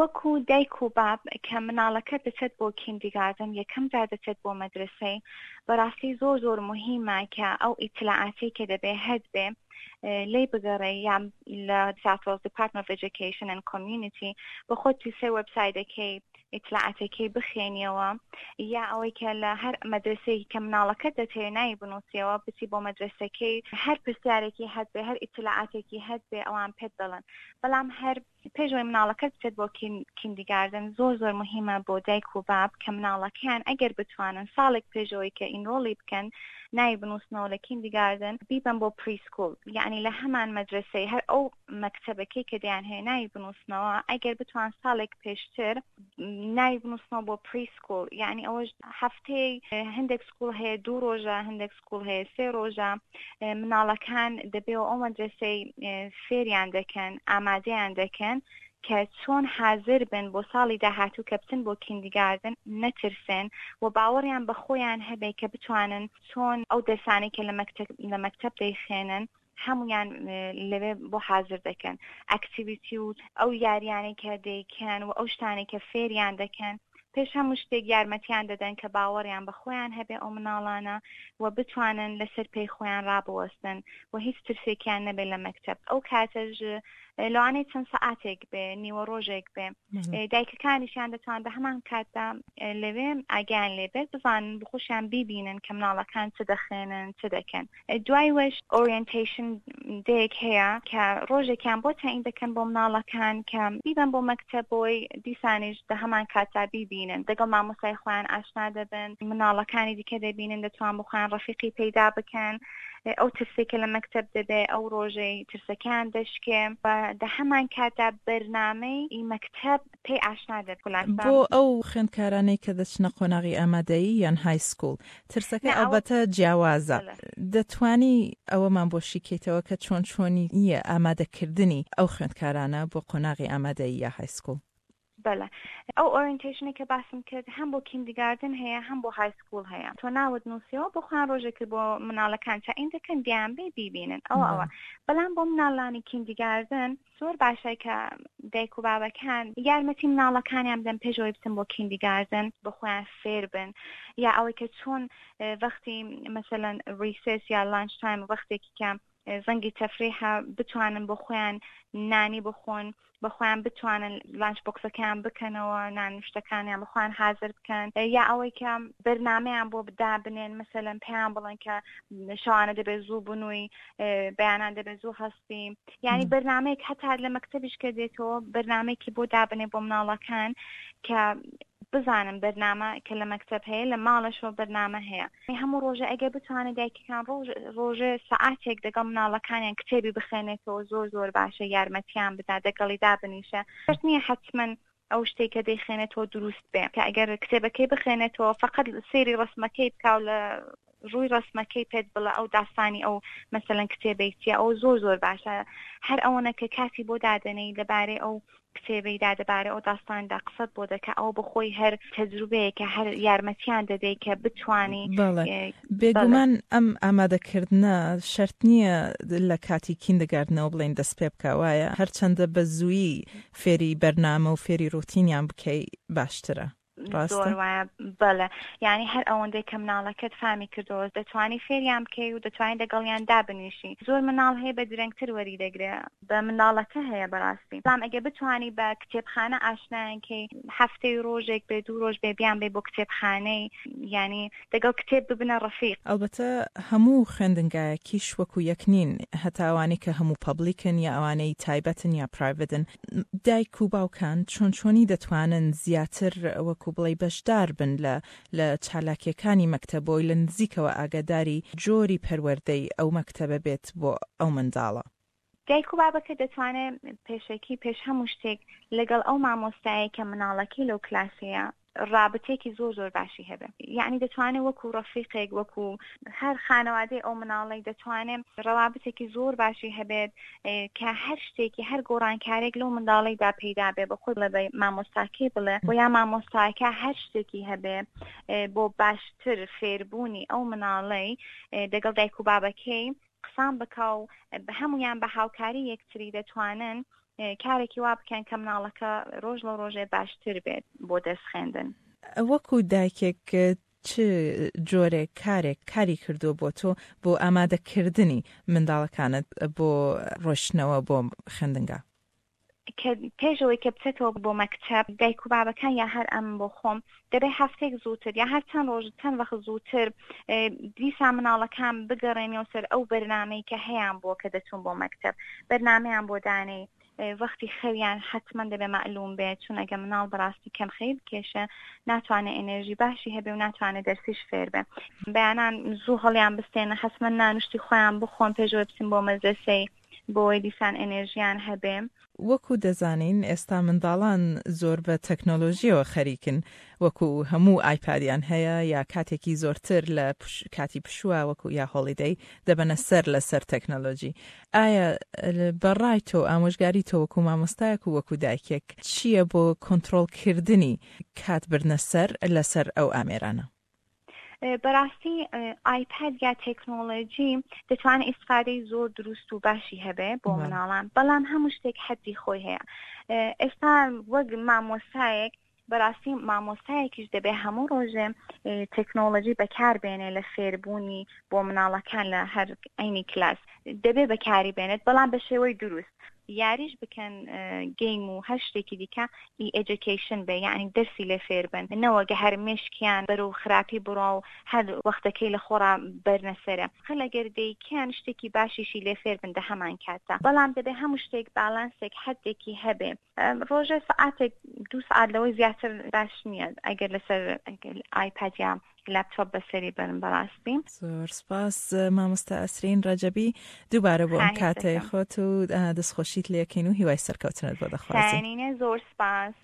وەکو دایک و باب کە مناڵەکەت دەچێت بۆ kindergarten، یەکەم جار دەچێت بۆ مەدرەسەی، بەڕاستی زۆر زۆر موهیمە کە ئەو ئیتلاعاتەی کە دەبێ هەتبێ لێی بگەڕێی یا لە South Wales Department of Education and Community بە خۆت سەر وێبسایتەکەی ئیتلاعاتەکەی بخێنیەوە یا ئەوەی کە لە هەر مەدرەسەیەکی کە مناڵەکەت دەتەوێ ناوی بنووسیەوە بچی بۆ مەدرەسەکەی هەر پرسیارێکی هەتبێ هەر ئیتلاعاتێکی هەتبێ ئەوان پێت دەڵێن بەڵام هەر پێش ئەوەی مناڵەکەت بچێت بۆ kindergarten زۆر زۆر موهیمە بۆ دایک و باب کە مناڵەکەیان ئەگەر بتوانن ساڵێک پێش ئەوەی کە enroll ی بکەن ناوی بنووسنەوە لە kindergarten بیبەن بۆ preschool یەعنی لە هەمان مەدرەسەی هەر ئەو مەکتەبەکەی کە دەیانهەوێ ناوی بنووسنەوە ئەگەر بتوان ساڵێک پێشتر ناوی بنووسنەوە بۆ preschool یەعنی ئەوەش هەفتەی هەندێک school هەیە دوو ڕۆژە هەندێک school هەیە سێ ڕۆژە مناڵەکان دەبێ و ئەو مەدرەسەی فێریان دەکەن ئامادەیان دەکەن کە چۆن حازر بن بۆ ساڵی داهاتوو کە بچن بۆ kindergarten نەترسێن و باوەڕیان بە خۆیان هەبێ کە بتوانن چۆن ئەو دەرسانەی کە لە مەکتەب دەیخوێنن هەمویان لەوێ بۆ حازر دەکەن activity و ئەو یاریانەی کە دەیکەن و ئەو شتانەی کە فێریان دەکەن پێش هەموو شتێک یارمەتیان دەدەن کە باوەڕیان بە خۆیان هەبێ ئەو مناڵانە و بتوانن لەسەر پێی خۆیان ڕابوەستن و هیچ ترسێکیان نەبێت لە مەکتەب ئەو کاتەش لەوانەیە چەند سەعاتێک بێ نیوە ڕۆژێک بێ دایکەکانیشیان دەتوان بە هەمان کاتدا لەوێ ئاگیان لێبێت بزانن بخۆشیان بیبینن کە مناڵەکان چ دەخێنن چ دەکەن دوای وەش orientation day ێک هەیە کە ڕۆژێکیان بۆ تەعین دەکەن بۆ مناڵەکان کە بیبەن بۆ مەکتەب بۆی دیسانیش دە هەمان کاتدا بیبینن دەگەڵ مامۆستای خۆیان ئاشنا دەبن مناڵەکانی دیکە دەبینن دەتوان بۆ خۆیان ڕەفیقی پەیدا بکەن ئەو ترسێک کە لە مەکتەب دەبێ ئەو ڕۆژەی ترسەکەیان دەشکێ و دە هەمان کاتدا بەرنامەی مەکتەب پێی ئاشنا دەبن. بۆ ئەو خوێندکارانەی کە دەچنە قۆناغی ئامادەیی یان high school ترسەکە ئەڵبەتە جیاوازە. دەتوانی ئەوەمان بۆ شیکەیتەوە کە چۆن چۆنییە ئامادەکردنی ئەو خوێندکارانە بۆ قۆناغی ئامادەیی یا high school؟ بەڵێ ئەو orientation ەی کە باسم کرد هەم بۆ kindergarten هەیە هەم بۆ high school هەیە تۆ ناوت نووسیەوە بۆ خۆیان ڕۆژێکت بۆ مناڵەکان تەعین دەکەن دیان بێ بیبینن ئەوە ئەوە بەڵام بۆ مناڵانی kindergarten زۆر باشە کە دایک و بابەکان یارمەتی مناڵەکانیان بدەن پێش ئەوەی بچن بۆ kindergarten بۆ خۆیان فێر بن یا ئەوەی کە چۆن وەختی مەسەلەن recess یا lunch time وەختێکی کە زەنگی تەفریحە بتوانن بۆ خۆیان نانی بخۆن بە خۆیان بتوانن lunch box ەکەیان بکەنەوە نان شتەکانیان بە خۆیان حازر بکەن یا ئەوەی کە بەرنامەیان بۆ دابنێن مەسەلەن پێیان بڵێن کە شەوانە دەبێت زوو بنووی بەیانان دەبێت زوو هەستی یعنی بەرنامەیەک هەتا لە مەکتەبیش کە دێتەوە بەرنامەیەکی بۆ دابنێ بۆ مناڵەکان کە بزانن بەرنامە کە لە مەکتەب هەیە لە ماڵەشەوە بەرنامە هەیە هەموو ڕۆژە ئەگەر بتوانێت دایکەکان ڕۆژ ڕۆژێ سەعاتێک دەگەڵ مناڵەکانیان کتێبی بخێنێتەوە زۆر زۆر باشە یارمەتیان بدا دەگەڵی دابنیشە شەرت نییە حەتمەن ئەو شتێک کە دەیخێنێتەوە دروست بێ کە ئەگەر کتێبەکەی بخێنێتەوە فقط سەیری ڕسمەکەی بکاو لە ڕووی ڕسمەکەی پێت بڵێ ئەو داستانی ئەو مەسەلەن کتێبەی چیە ئەو زۆر زۆر باشە هەر ئەوەنە کە کاتی بۆ دادەنێی لەبارەی ئەو کتێبەیدا دەبارەی ئەو داستاندا قسەت بۆ دەکا ئەوە بۆ خۆی هەر تەجروبەیەکە هەر یارمەتیان دەدەی کە بتوانی بەڵێ بێگومان ئەم ئامادەکردنە شەرت نییە لە کاتی kindergarten ەوە بڵێین دەست پێ بکا وایە هەرچەندە بە زوویی فێری بەرنامە و فێری ڕوتینیان بکەی باشترە. ڕاستە؟ زۆر وایە بەڵێ یانی هەر ئەوەندەی کە مناڵەکەت فامی کردەوە دەتوانی فێریان بکەی و دەتوانی دەگەڵیان دابنیشی زۆر مناڵ هەیە بە درەنگتر وەری دەگرێ بە مناڵەکە هەیە بەڕاستی بەڵام ئەگەر بتوانی بە کتێبخانە ئاشنایان کەی هەفتەی ڕۆژێک بێ دوو ڕۆژ بێ بیان بەی بۆ کتێبخانەی یانی دەگەڵ کتێب ببنە ڕەفیق. ئەڵبەتە هەموو خوێندنگایەکیش وەکو یەک نین هەتا ئەوانەی کە هەموو public ن یا ئەوانەی تایبەتن یا private ن دایک و باوکان چۆن چۆنی دەتوانن زیاتر وەکو بڵێی بەشدار بن لە لە چالاکیەکانی مەکتەب بۆی لە نزیکەوە ئاگاداری جۆری پەروەردەی ئەو مەکتەبە بێت بۆ ئەو منداڵە؟ دایک و بابەکە دەتوانێت پێشەکی پێش هەموو شتێک لەگەڵ ئەو مامۆستایەی کە مناڵەکەی لەو کلاسەیە ڕابتێکی زۆر زۆر باشی هەبێ یعنی دەتوانێت وەکو ڕەفیقێک وەکو هەر خانەوادەی ئەو مناڵی دەتوانێت ڕەوابتێکی زۆر باشی هەبێت کە هەر شتێکی هەر گۆڕانکارێک لەو منداڵیدا پەیدا بێ بە خۆی بڵێ بە مامۆستاکەی بڵێ بۆ یا مامۆستاکە هەر شتێکی هەبێ بۆ باشتر فێربوونی ئەو مناڵەی دەگەڵ دایک و بابەکەی قسان بکا و هەموویان بە هاوکاری یەکتری دەتوانن. کارێکی وا بکەن کە مناڵەکە ڕۆژ لە ڕۆژێ باشتر بێت بۆ دەرس خوێندن. وەکو دایکێک چ جۆرێک کارێک کاری کردووە بۆ تۆ بۆ ئامادەکردنی منداڵەکانت بۆ ڕۆشتنەوە بۆ خوێندنگا؟ کە پێش ئەوەی کە بچێتەوە بۆ مەکتەب دایک و بابەکان یا هەر ئەم بۆ خۆم دەبێ هەفتەیەک زووتر یا هەر چەند ڕۆژ چەند وەخت زووتر دیسان مناڵەکان بگەڕێنەوە سەر ئەو بەرنامەی کە هەیان بووە کە دەچوون بۆ مەکتەب بەرنامەیان بۆ دانێی وەختی خەویان حەتمەن دەبێ مەعلوم بێت چون ئەگە مناڵ بەڕاستی کەم خەوی بکێشە ناتوانێت ئێنێرژی باشی هەبێ و ناتوانێت دەرسیش فێر بێ بەیانان زوو هەڵیان بستێنە حەتمەن نانوشتی خۆیان بخۆن پێشەوەی بچن بۆ مەدرەسەی بۆی دیسان ئێنێرژیان هەبێ. وەکو دەزانین ئێستا منداڵان زۆر بە تەکنۆلۆژیەوە خەریکن وەکو هەموو ئایپادیان هەیە یا کاتێکی زۆرتر لە کاتی پشووە وەکو یا هۆڵیدەی دەبەنە سەر لەسەر تەکنۆلۆژی ئایا بە ڕای تۆ ئامۆژگاری تۆ وەکو مامۆستایەک و وەکو دایکێک چییە بۆ کۆنتڕۆڵ کردنی کات بردنە سەر لەسەر ئەو ئامێرانە؟ بەراستی ئایپاد یا تێکنۆلۆژی دەتوانێت ئیسفادەی زۆر دروست و باشی هەبێ بۆ مناڵان بەڵام هەموو شتێک حەدی خۆی هەیە ئێستا وەک مامۆستایەک بەراستی مامۆستایەکیش دەبێ هەموو ڕۆژێ تێکنۆلۆژی بەکار بێنێ لە فێربوونی بۆ مناڵەکان لە هەر عینی کلاس دەبێ بەکاری بێنێت بەڵام بە شێوەی دروست یاریش بکەن گەیم و هەر شتێکی دیکە ئی ئێجوکەیشن بێ یەعنی دەرسی لێ فێر بن نەوەک هەر مێشکیان بەرەو خراپی بڕوا و هەر وەختەکەی لە خۆڕا بەرنە سەرێ خەل ئەگەر دەیکەن شتێکی باشیشی لێ فێر بن دە هەمان کاتدا بەڵام دەبێ هەموو شتێک بالانسێک حەدێکی هەبێ ڕۆژێ سەعاتێک دوو سەعات لەوەی زیاتر باش نییە ئەگەر لەسەر ئایپاد یا لاپتۆپ بەسەری بەرن بەڕاستی. زۆر سپاس مامۆستا ئەسرین ڕەجەبی دووبارە بۆ ئەم کاتەی خۆت و دەستخۆشیت لێکەین و هیوای سەرکەوتنت بۆ دەخوازین. زۆر سپاس.